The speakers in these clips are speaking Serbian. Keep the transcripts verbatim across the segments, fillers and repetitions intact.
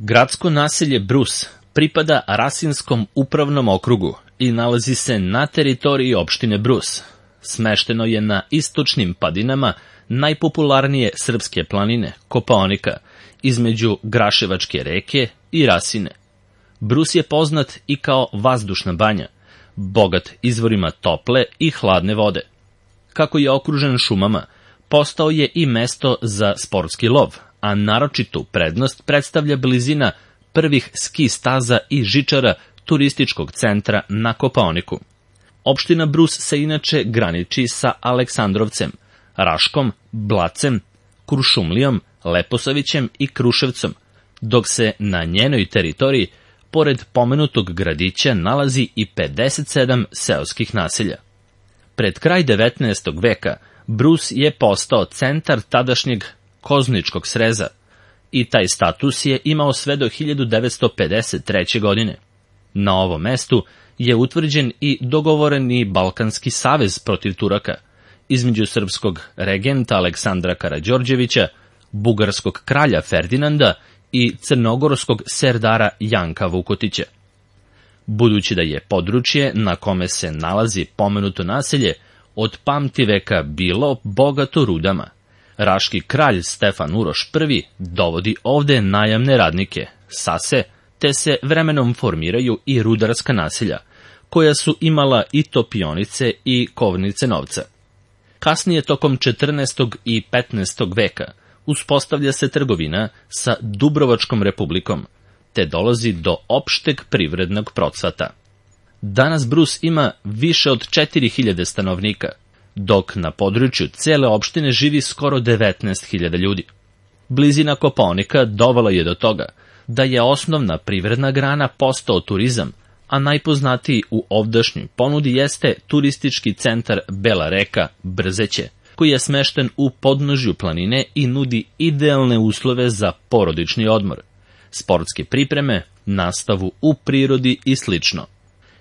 Gradsko naselje Brus pripada Rasinskom upravnom okrugu i nalazi se na teritoriji opštine Brus. Smešteno je na istočnim padinama najpopularnije srpske planine, Kopaonika, između Graševačke reke i Rasine. Brus je poznat i kao vazdušna banja, bogat izvorima tople i hladne vode. Kako je okružen šumama, postao je i mesto za sportski lov, a naročitu prednost predstavlja blizina prvih ski staza i žičara turističkog centra na Kopaoniku. Opština Brus se inače graniči sa Aleksandrovcem, Raškom, Blacem, Kuršumlijom, Leposavićem i Kruševcom, dok se na njenoj teritoriji, pored pomenutog gradića, nalazi i pedeset sedam seoskih naselja. Pred kraj devetnaestog veka Brus je postao centar tadašnjeg Kozničkog sreza i taj status je imao sve do hiljadu devetsto pedeset treće. godine. Na ovom mestu je utvrđen i dogovoreni Balkanski savez protiv Turaka između srpskog regenta Aleksandra Karađorđevića, bugarskog kralja Ferdinanda i crnogorskog serdara Janka Vukotića. Budući da je područje na kome se nalazi pomenuto naselje od pamtiveka bilo bogato rudama, raški kralj Stefan Uroš I dovodi ovde najamne radnike, sase, te se vremenom formiraju i rudarska naselja, koja su imala i topionice i kovnice novca. Kasnije, tokom četrnaestog i petnaestog veka, uspostavlja se trgovina sa Dubrovačkom republikom, te dolazi do opšteg privrednog procvata. Danas Brus ima više od četiri hiljade stanovnika, dok na području cele opštine živi skoro devetnaest hiljada ljudi. Blizina Kopaonika dovela je do toga da je osnovna privredna grana postao turizam, a najpoznatiji u ovdašnjoj ponudi jeste turistički centar Bela reka Brzeće, koji je smešten u podnožju planine i nudi idealne uslove za porodični odmor, sportske pripreme, nastavu u prirodi i slično.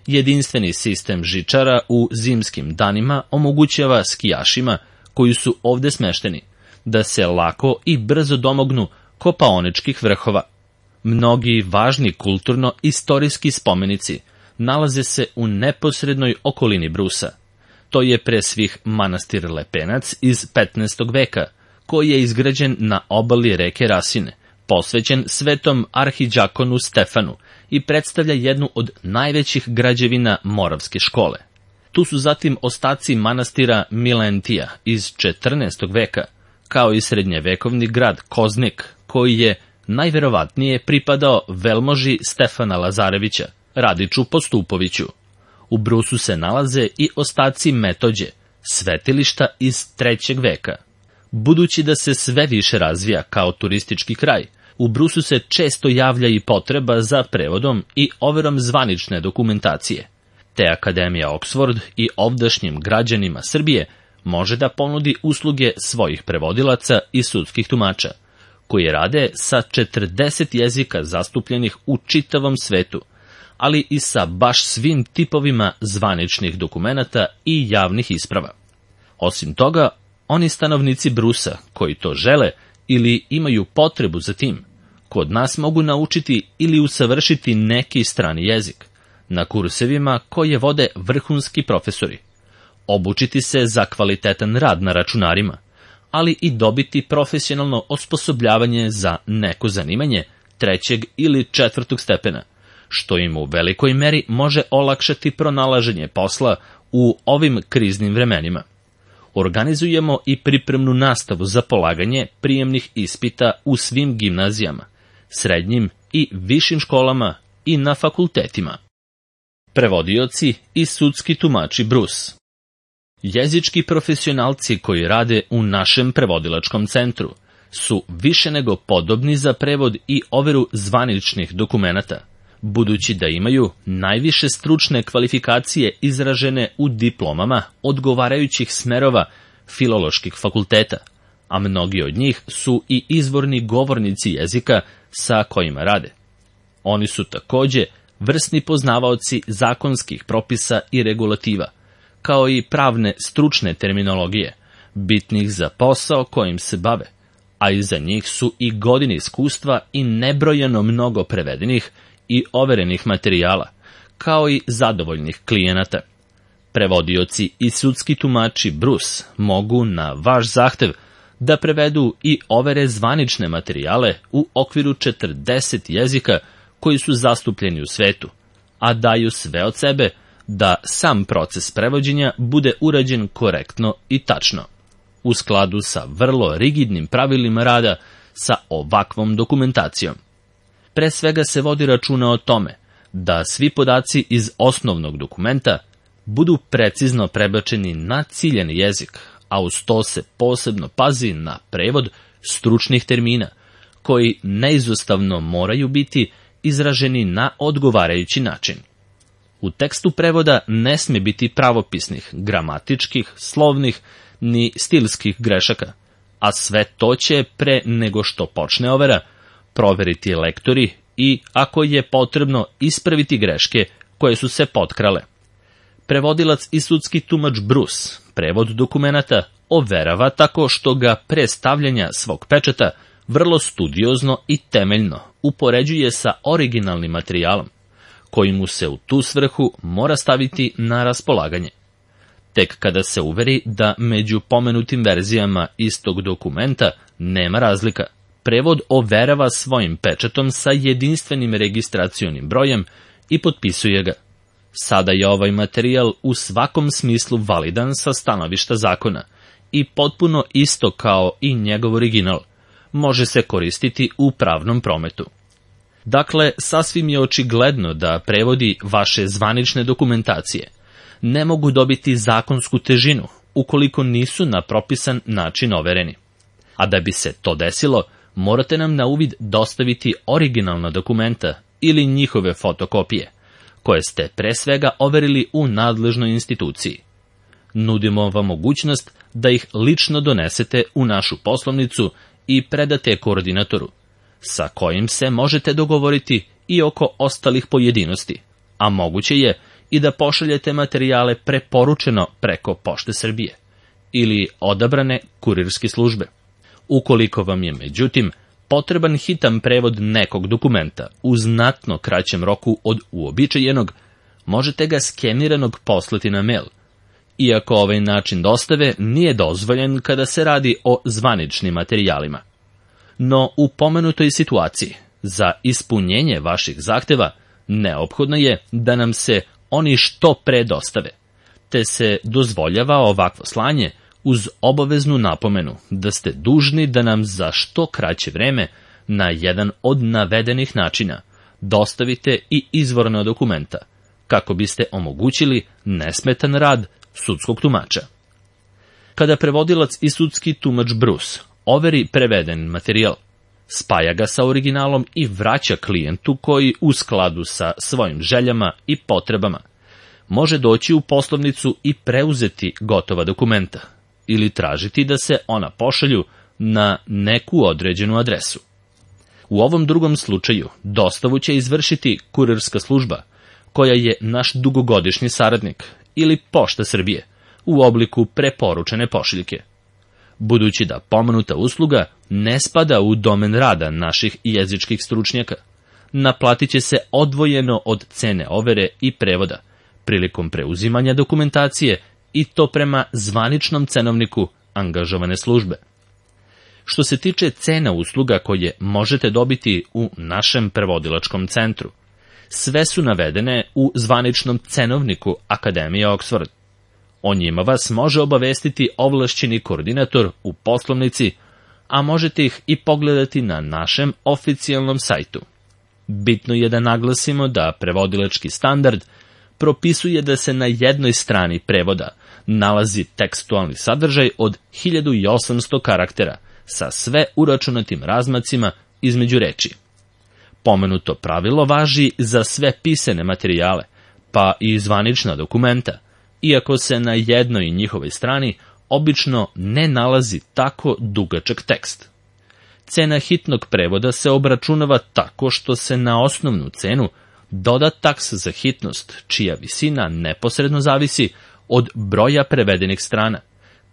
Jedinstveni sistem žičara u zimskim danima omogućava skijašima koji su ovde smešteni da se lako i brzo domognu kopaoničkih vrhova. Mnogi važni kulturno-istorijski spomenici nalaze se u neposrednoj okolini Brusa. To je pre svih manastir Lepenac iz petnaestog veka, koji je izgrađen na obali reke Rasine, posvećen svetom arhidžakonu Stefanu i predstavlja jednu od najvećih građevina Moravske škole. Tu su zatim ostaci manastira Milentija iz četrnaestog veka, kao i srednjevekovni grad Koznik, koji je najverovatnije pripadao velmoži Stefana Lazarevića, Radiču Postupoviću. U Brusu se nalaze i ostaci Metođe, svetilišta iz trećeg veka. Budući da se sve više razvija kao turistički kraj, u Brusu se često javlja i potreba za prevodom i overom zvanične dokumentacije, te Akademija Oxford i ovdašnjim građanima Srbije može da ponudi usluge svojih prevodilaca i sudskih tumača, koji rade sa četrdeset jezika zastupljenih u čitavom svetu, ali i sa baš svim tipovima zvaničnih dokumenata i javnih isprava. Osim toga, oni stanovnici Brusa koji to žele ili imaju potrebu za tim, kod nas mogu naučiti ili usavršiti neki strani jezik na kursevima koje vode vrhunski profesori, obučiti se za kvalitetan rad na računarima, ali i dobiti profesionalno osposobljavanje za neko zanimanje trećeg ili četvrtog stepena, što im u velikoj meri može olakšati pronalaženje posla u ovim kriznim vremenima. Organizujemo i pripremnu nastavu za polaganje prijemnih ispita u svim gimnazijama, srednjim i višim školama i na fakultetima. Prevodioci i sudski tumači Brus. Jezički profesionalci koji rade u našem prevodilačkom centru su više nego podobni za prevod i overu zvaničnih dokumenata, budući da imaju najviše stručne kvalifikacije izražene u diplomama odgovarajućih smerova filoloških fakulteta, a mnogi od njih su i izvorni govornici jezika sa kojima rade. Oni su takođe vrsni poznavaoci zakonskih propisa i regulativa, kao i pravne stručne terminologije, bitnih za posao kojim se bave, a iza njih su i godine iskustva i nebrojeno mnogo prevedenih i overenih materijala, kao i zadovoljnih klijenata. Prevodioci i sudski tumači Bruce mogu na vaš zahtev da prevedu i overe zvanične materijale u okviru četrdeset jezika koji su zastupljeni u svetu, a daju sve od sebe da sam proces prevođenja bude urađen korektno i tačno, u skladu sa vrlo rigidnim pravilima rada sa ovakvom dokumentacijom. Pre svega se vodi računa o tome da svi podaci iz osnovnog dokumenta budu precizno prebačeni na ciljani jezik, a uz to se posebno pazi na prevod stručnih termina, koji neizostavno moraju biti izraženi na odgovarajući način. U tekstu prevoda ne sme biti pravopisnih, gramatičkih, slovnih ni stilskih grešaka, a sve to će pre nego što počne overa proveriti lektori i, ako je potrebno, ispraviti greške koje su se potkrale. Prevodilac i sudski tumač Bruce prevod dokumenata overava tako što ga pre stavljanja svog pečata vrlo studiozno i temeljno upoređuje sa originalnim materijalom, koji mu se u tu svrhu mora staviti na raspolaganje. Tek kada se uveri da među pomenutim verzijama istog dokumenta nema razlika, prevod overava svojim pečatom sa jedinstvenim registracionim brojem i potpisuje ga. Sada je ovaj materijal u svakom smislu validan sa stanovišta zakona i potpuno isto kao i njegov original. Može se koristiti u pravnom prometu. Dakle, sasvim je očigledno da prevodi vaše zvanične dokumentacije ne mogu dobiti zakonsku težinu ukoliko nisu na propisan način overeni. A da bi se to desilo, morate nam na uvid dostaviti originalna dokumenta ili njihove fotokopije, koje ste pre svega overili u nadležnoj instituciji. Nudimo vam mogućnost da ih lično donesete u našu poslovnicu i predate koordinatoru, sa kojim se možete dogovoriti i oko ostalih pojedinosti, a moguće je i da pošaljete materijale preporučeno preko Pošte Srbije ili odabrane kurirske službe. Ukoliko vam je, međutim, potreban hitan prevod nekog dokumenta u znatno kraćem roku od uobičajenog, možete ga skeniranog poslati na mail, iako ovaj način dostave nije dozvoljen kada se radi o zvaničnim materijalima. No, u pomenutoj situaciji, za ispunjenje vaših zahteva, neophodno je da nam se oni što pre dostave, te se dozvoljava ovakvo slanje uz obaveznu napomenu da ste dužni da nam za što kraće vreme na jedan od navedenih načina dostavite i izvorna dokumenta, kako biste omogućili nesmetan rad sudskog tumača. Kada prevodilac i sudski tumač Bruce overi preveden materijal, spaja ga sa originalom i vraća klijentu koji, u skladu sa svojim željama i potrebama, može doći u poslovnicu i preuzeti gotova dokumenta ili tražiti da se ona pošalju na neku određenu adresu. U ovom drugom slučaju dostavu će izvršiti kurirska služba, koja je naš dugogodišnji saradnik, ili Pošta Srbije, u obliku preporučene pošiljke. Budući da pomenuta usluga ne spada u domen rada naših jezičkih stručnjaka, naplatit će se odvojeno od cene overe i prevoda prilikom preuzimanja dokumentacije, i to prema zvaničnom cenovniku angažovane službe. Što se tiče cena usluga koje možete dobiti u našem prevodilačkom centru, sve su navedene u zvaničnom cenovniku Akademije Oxford. O njima vas može obavestiti ovlašćeni koordinator u poslovnici, a možete ih i pogledati na našem oficijalnom sajtu. Bitno je da naglasimo da prevodilački standard propisuje da se na jednoj strani prevoda nalazi tekstualni sadržaj od hiljadu osamsto karaktera sa sve uračunatim razmacima između reči. Pomenuto pravilo važi za sve pisane materijale, pa i zvanična dokumenta, iako se na jednoj njihovoj strani obično ne nalazi tako dugačak tekst. Cena hitnog prevoda se obračunava tako što se na osnovnu cenu doda taks za hitnost, čija visina neposredno zavisi od broja prevedenih strana,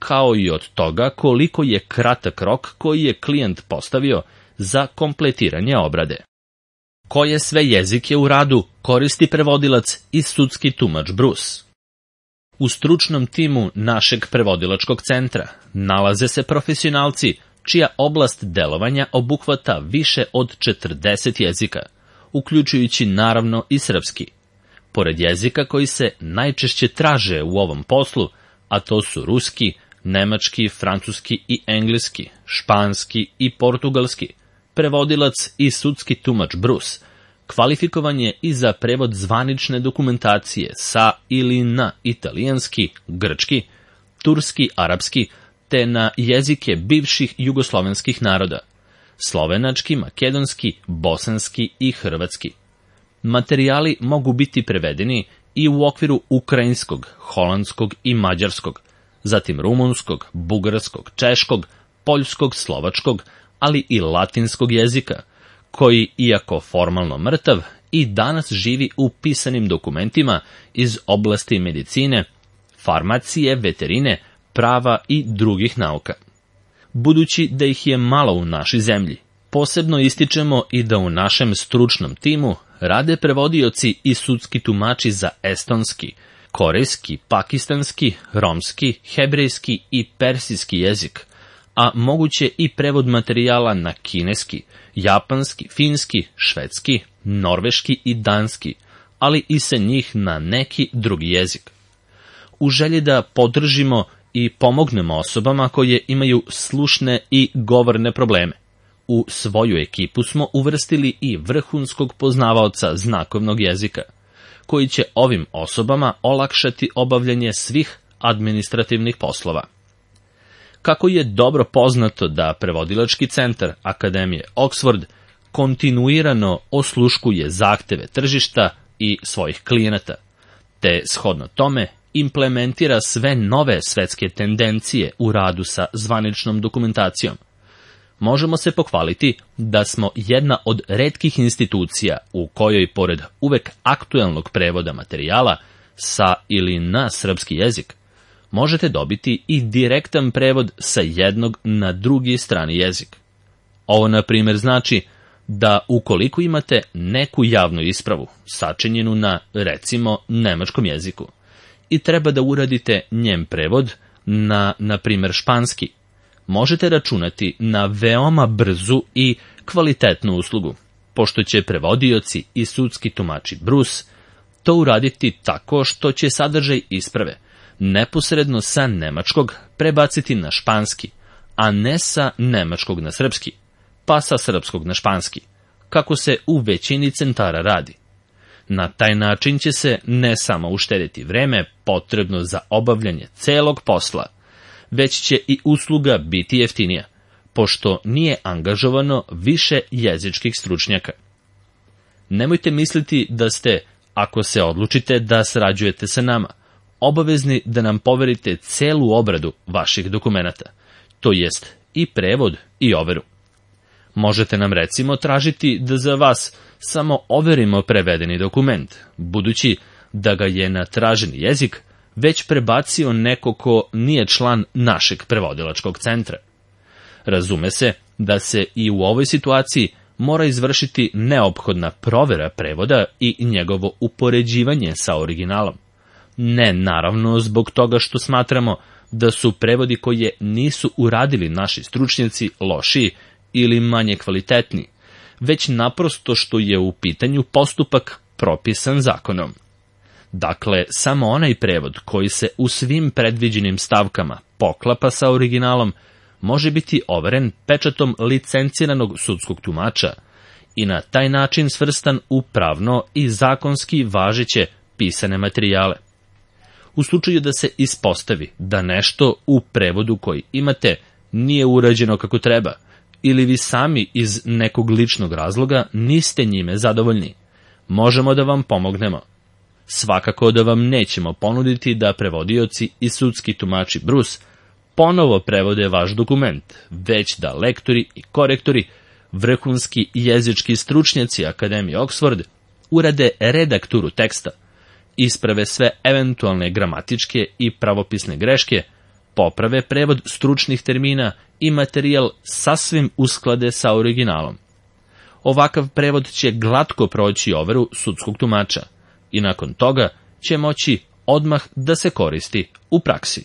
kao i od toga koliko je kratak rok koji je klijent postavio za kompletiranje obrade. Koje sve jezike u radu koristi prevodilac i sudski tumač Bruce? U stručnom timu našeg prevodilačkog centra nalaze se profesionalci čija oblast delovanja obuhvata više od četrdeset jezika, uključujući naravno i srpski. Pored jezika koji se najčešće traže u ovom poslu, a to su ruski, nemački, francuski i engleski, španski i portugalski, prevodilac i sudski tumač Bruce kvalifikovan je i za prevod zvanične dokumentacije sa ili na italijanski, grčki, turski, arapski, te na jezike bivših jugoslovenskih naroda, slovenački, makedonski, bosanski i hrvatski. Materijali mogu biti prevedeni i u okviru ukrajinskog, holandskog i mađarskog, zatim rumunskog, bugarskog, češkog, poljskog, slovačkog, ali i latinskog jezika, koji, iako formalno mrtav, i danas živi u pisanim dokumentima iz oblasti medicine, farmacije, veterine, prava i drugih nauka. Budući da ih je malo u našoj zemlji, posebno ističemo i da u našem stručnom timu rade prevodioci i sudski tumači za estonski, korejski, pakistanski, romski, hebrejski i persijski jezik, a moguće i prevod materijala na kineski, japanski, finski, švedski, norveški i danski, ali i sa njih na neki drugi jezik. U želji da podržimo i pomognemo osobama koje imaju slušne i govorne probleme, u svoju ekipu smo uvrstili i vrhunskog poznavaoca znakovnog jezika, koji će ovim osobama olakšati obavljanje svih administrativnih poslova. Kako je dobro poznato da prevodilački centar Akademije Oxford kontinuirano osluškuje zahteve tržišta i svojih klijenata, te shodno tome implementira sve nove svetske tendencije u radu sa zvaničnom dokumentacijom, možemo se pohvaliti da smo jedna od retkih institucija u kojoj, pored uvek aktuelnog prevoda materijala sa ili na srpski jezik, možete dobiti i direktan prevod sa jednog na drugi strani jezik. Ovo, na primjer, znači da ukoliko imate neku javnu ispravu sačinjenu na, recimo, nemačkom jeziku i treba da uradite njen prevod na, na primjer, španski, možete računati na veoma brzu i kvalitetnu uslugu, pošto će prevodioci i sudski tumači Bruce to uraditi tako što će sadržaj isprave neposredno sa nemačkog prebaciti na španski, a ne sa nemačkog na srpski, pa sa srpskog na španski, kako se u većini centara radi. Na taj način će se ne samo uštedeti vreme potrebno za obavljanje celog posla, već će i usluga biti jeftinija, pošto nije angažovano više jezičkih stručnjaka. Nemojte misliti da ste, ako se odlučite da sarađujete sa nama, obavezni da nam poverite celu obradu vaših dokumenata, to jest i prevod i overu. Možete nam recimo tražiti da za vas samo overimo prevedeni dokument, budući da ga je na traženi jezik već prebacio neko ko nije član našeg prevodilačkog centra. Razume se da se i u ovoj situaciji mora izvršiti neophodna provera prevoda i njegovo upoređivanje sa originalom. Ne naravno zbog toga što smatramo da su prevodi koje nisu uradili naši stručnjaci lošiji ili manje kvalitetni, već naprosto što je u pitanju postupak propisan zakonom. Dakle, samo onaj prevod koji se u svim predviđenim stavkama poklapa sa originalom može biti overen pečatom licenciranog sudskog tumača i na taj način svrstan u pravno i zakonski važeće pisane materijale. U slučaju da se ispostavi da nešto u prevodu koji imate nije urađeno kako treba, ili vi sami iz nekog ličnog razloga niste njime zadovoljni, možemo da vam pomognemo. Svakako da vam nećemo ponuditi da prevodioci i sudski tumači Bruce ponovo prevode vaš dokument, već da lektori i korektori, vrhunski jezički stručnjaci Akademije Oxford, urade redakturu teksta, isprave sve eventualne gramatičke i pravopisne greške, poprave prevod stručnih termina i materijal sasvim usklade sa originalom. Ovakav prevod će glatko proći overu sudskog tumača i nakon toga će moći odmah da se koristi u praksi.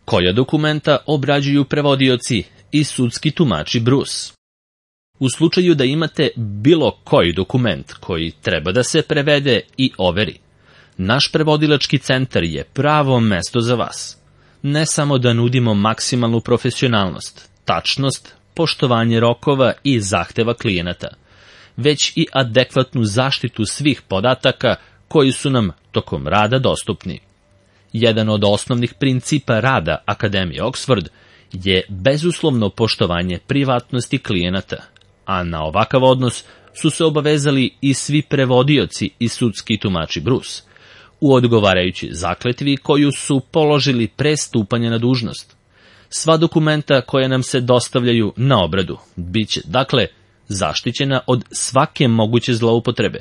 Koja dokumenta obrađuju prevodioci i sudski tumači Bruce? U slučaju da imate bilo koji dokument koji treba da se prevede i overi, naš prevodilački centar je pravo mesto za vas. Ne samo da nudimo maksimalnu profesionalnost, tačnost, poštovanje rokova i zahteva klijenata, već i adekvatnu zaštitu svih podataka koji su nam tokom rada dostupni. Jedan od osnovnih principa rada Akademije Oxford je bezuslovno poštovanje privatnosti klijenata, a na ovakav odnos su se obavezali i svi prevodioci i sudski tumači Bruce, u odgovarajući zakletvi koju su položili pre stupanja na dužnost. Sva dokumenta koja nam se dostavljaju na obradu biće, dakle, zaštićena od svake moguće zloupotrebe,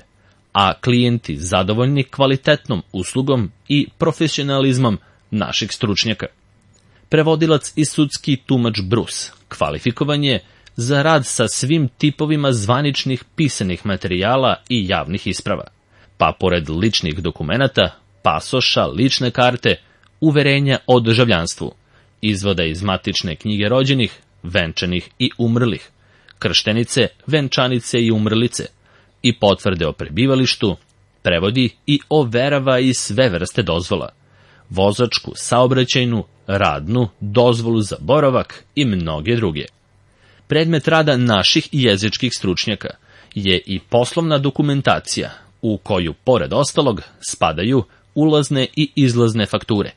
a klijenti zadovoljni kvalitetnom uslugom i profesionalizmom naših stručnjaka. Prevodilac i sudski tumač Bruce kvalifikovan je za rad sa svim tipovima zvaničnih pisanih materijala i javnih isprava, pa pored ličnih dokumenata, pasoša, lične karte, uverenja o državljanstvu, izvoda iz matične knjige rođenih, venčanih i umrlih, krštenice, venčanice i umrlice, i potvrde o prebivalištu, prevodi i overava i sve vrste dozvola, vozačku, saobraćajnu, radnu, dozvolu za boravak i mnoge druge. Predmet rada naših jezičkih stručnjaka je i poslovna dokumentacija, u koju, pored ostalog, spadaju ulazne i izlazne fakture,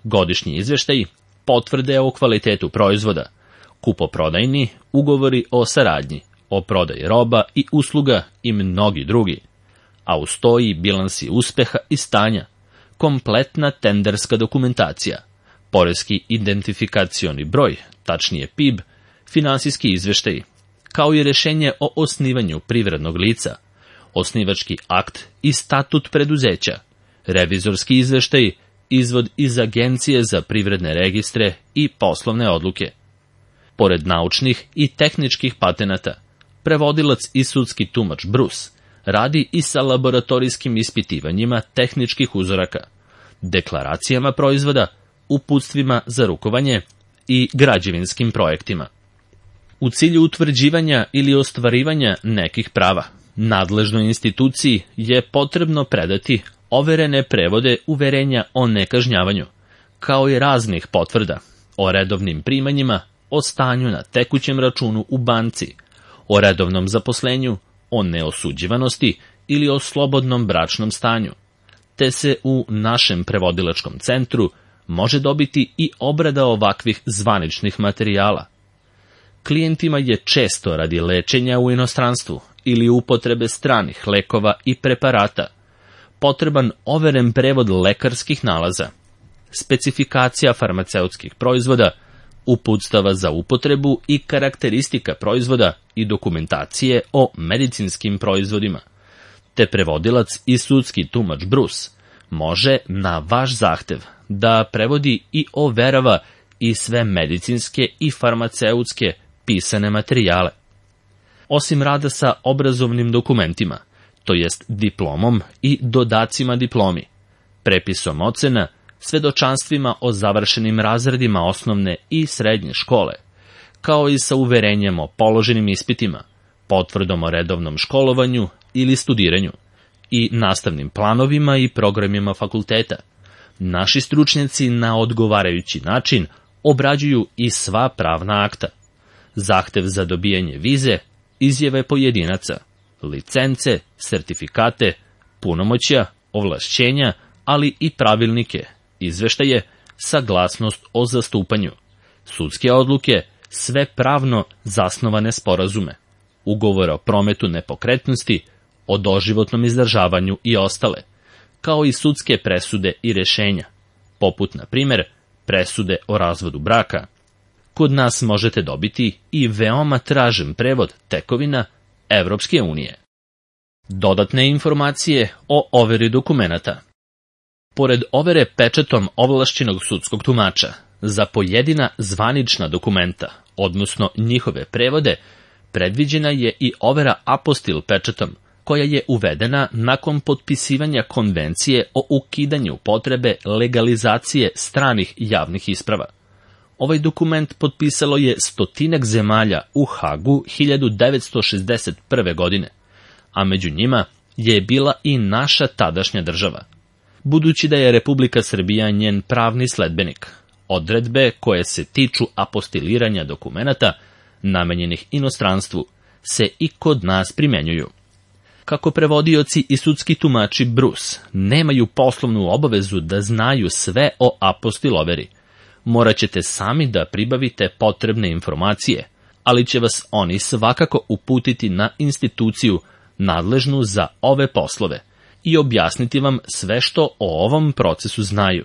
godišnji izveštaji, potvrde o kvalitetu proizvoda, kupoprodajni ugovori o saradnji, o prodaji roba i usluga i mnogi drugi, a uz to i bilansi uspeha i stanja, kompletna tenderska dokumentacija, poreski identifikacioni broj, tačnije P I B, finansijski izveštaji, kao i rešenje o osnivanju privrednog lica, osnivački akt i statut preduzeća, revizorski izveštaj, izvod iz Agencije za privredne registre i poslovne odluke. Pored naučnih i tehničkih patenata, prevodilac i sudski tumač Bruce radi i sa laboratorijskim ispitivanjima tehničkih uzoraka, deklaracijama proizvoda, uputstvima za rukovanje i građevinskim projektima. U cilju utvrđivanja ili ostvarivanja nekih prava, nadležnoj instituciji je potrebno predati overene prevode uverenja o nekažnjavanju, kao i raznih potvrda o redovnim primanjima, o stanju na tekućem računu u banci, o redovnom zaposlenju, o neosuđivanosti ili o slobodnom bračnom stanju, te se u našem prevodilačkom centru može dobiti i obrada ovakvih zvaničnih materijala. Klijentima je često radi lečenja u inostranstvu ili upotrebe stranih lekova i preparata potreban overen prevod lekarskih nalaza, specifikacija farmaceutskih proizvoda, uputstava za upotrebu i karakteristika proizvoda i dokumentacije o medicinskim proizvodima, te prevodilac i sudski tumač Bruce može na vaš zahtev da prevodi i overava i sve medicinske i farmaceutske pisane materijale. Osim rada sa obrazovnim dokumentima, to jest diplomom i dodacima diplomi, prepisom ocena, svedočanstvima o završenim razredima osnovne i srednje škole, kao i sa uverenjem o položenim ispitima, potvrdom o redovnom školovanju ili studiranju i nastavnim planovima i programima fakulteta. Naši stručnjaci na odgovarajući način obrađuju i sva pravna akta, zahtev za dobijanje vize, izjave pojedinaca, licence, sertifikate, punomoćja, ovlašćenja, ali i pravilnike, izveštaje, saglasnost o zastupanju, sudske odluke, sve pravno zasnovane sporazume, ugovore o prometu nepokretnosti, o doživotnom izdržavanju i ostale, kao i sudske presude i rešenja, poput, na primjer, presude o razvodu braka. Kod nas možete dobiti i veoma tražen prevod tekovina Evropske unije. Dodatne informacije o overi dokumenata. Pored overe pečatom ovlašćenog sudskog tumača, Za pojedina zvanična dokumenta, odnosno njihove prevode, predviđena je i overa apostil pečatom, koja je uvedena nakon potpisivanja konvencije o ukidanju potrebe legalizacije stranih javnih isprava. Ovaj dokument potpisalo je stotinak zemalja u Hagu hiljadu devetsto šezdeset prve. godine, a među njima je bila i naša tadašnja država. Budući da je Republika Srbija njen pravni sledbenik, odredbe koje se tiču apostiliranja dokumenata namenjenih inostranstvu se i kod nas primenjuju. Kako prevodioci i sudski tumači Bruce nemaju poslovnu obavezu da znaju sve o apostiloveri, morat ćete sami da pribavite potrebne informacije, ali će vas oni svakako uputiti na instituciju nadležnu za ove poslove i objasniti vam sve što o ovom procesu znaju.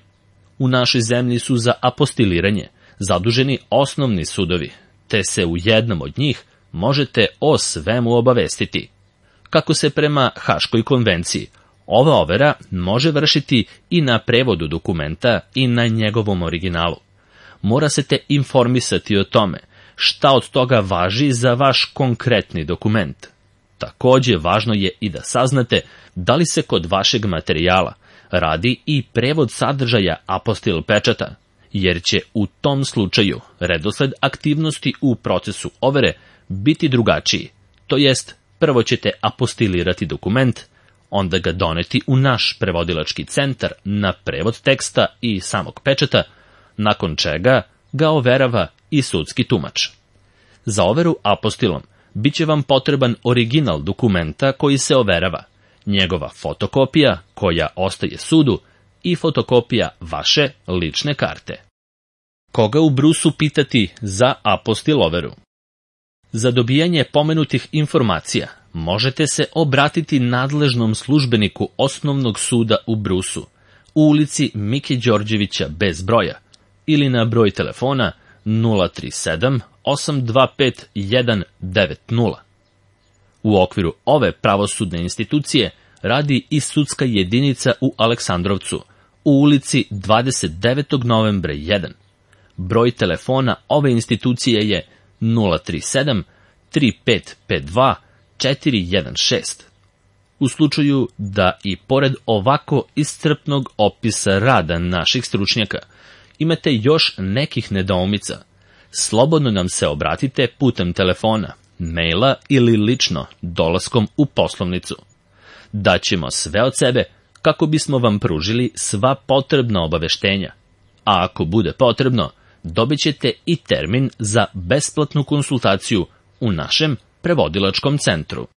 U našoj zemlji su za apostiliranje zaduženi osnovni sudovi, te se u jednom od njih možete o svemu obavestiti. Kako se prema Haškoj konvenciji, ova overa može vršiti i na prevodu dokumenta i na njegovom originalu. Mora se te informisati o tome šta od toga važi za vaš konkretni dokument. Takođe, važno je i da saznate da li se kod vašeg materijala radi i prevod sadržaja apostil pečata, jer će u tom slučaju redosled aktivnosti u procesu overe biti drugačiji, to jest prvo ćete apostilirati dokument, onda ga doneti u naš prevodilački centar na prevod teksta i samog pečata, nakon čega ga overava i sudski tumač. Za overu apostilom biće vam potreban original dokumenta koji se overava, njegova fotokopija koja ostaje sudu i fotokopija vaše lične karte. Koga u Brusu pitati za apostil overu? Za dobijanje pomenutih informacija možete se obratiti nadležnom službeniku Osnovnog suda u Brusu, u ulici Mike Đorđevića bez broja, ili na broj telefona nula tri sedam osam dva pet jedan devet nula. U okviru ove pravosudne institucije radi i sudska jedinica u Aleksandrovcu, u ulici dvadeset devetog novembra jedan. Broj telefona ove institucije je nula tri sedam tri pet pet dva četiri jedan šest. U slučaju da i pored ovako iscrpnog opisa rada naših stručnjaka imate još nekih nedoumica, slobodno nam se obratite putem telefona, maila ili lično dolaskom u poslovnicu. Daćemo sve od sebe kako bismo vam pružili sva potrebna obaveštenja, a ako bude potrebno, dobit ćete i termin za besplatnu konsultaciju u našem prevodilačkom centru.